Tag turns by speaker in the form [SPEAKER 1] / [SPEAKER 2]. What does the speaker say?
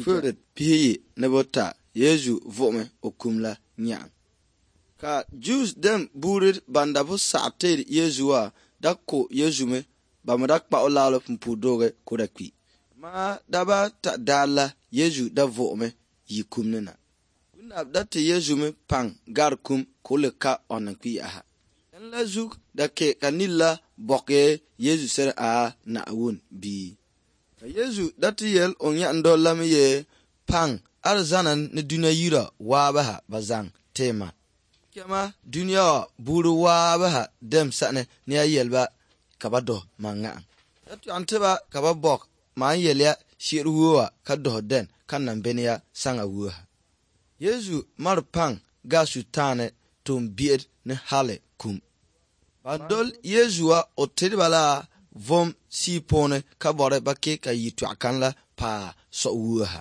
[SPEAKER 1] Field 17 Yezu vuɣimi o kum la nyaŋ. Ka Jews dem buuri ban da bi saɣi teeri Yezu wa da ko Yezu mi, ba mi da kpa o laɣili pumpuuridoogi ka o da kpi. Amaa daba ata daar la Yezu da vuɣimi yi kum ni na. Gunab da ti Yezu mi paŋ gari kum ka o le ka ɔn kpi yaha. N la zug da ke ka nir la bɔkee Yezu seri a Naawuni bia. Ka Yezu da ti yɛl o nyaandol la mi yee, Paŋ arizana ni dunia yira waabaha ba zaŋ ti ma. Chama dunia ŋɔ buuri waabaha dem sani ni a yɛli ba ka ba dɔhi ma ŋahiŋ. Da tɔɣim ti ba ka ba bɔk ma n yɛliya shiri wuhiwa ka dɔhi dɛn ka nam beni ya saŋa wuhiha. Yezu mari paŋ ga Sutaani tuumbiɛri ni hali kum. Ban doli Yezu wa o tiri ba la vom sii puuni ka bɔri ba ke ka yɛtɔɣa kan la paai sɔɣu wuhiha.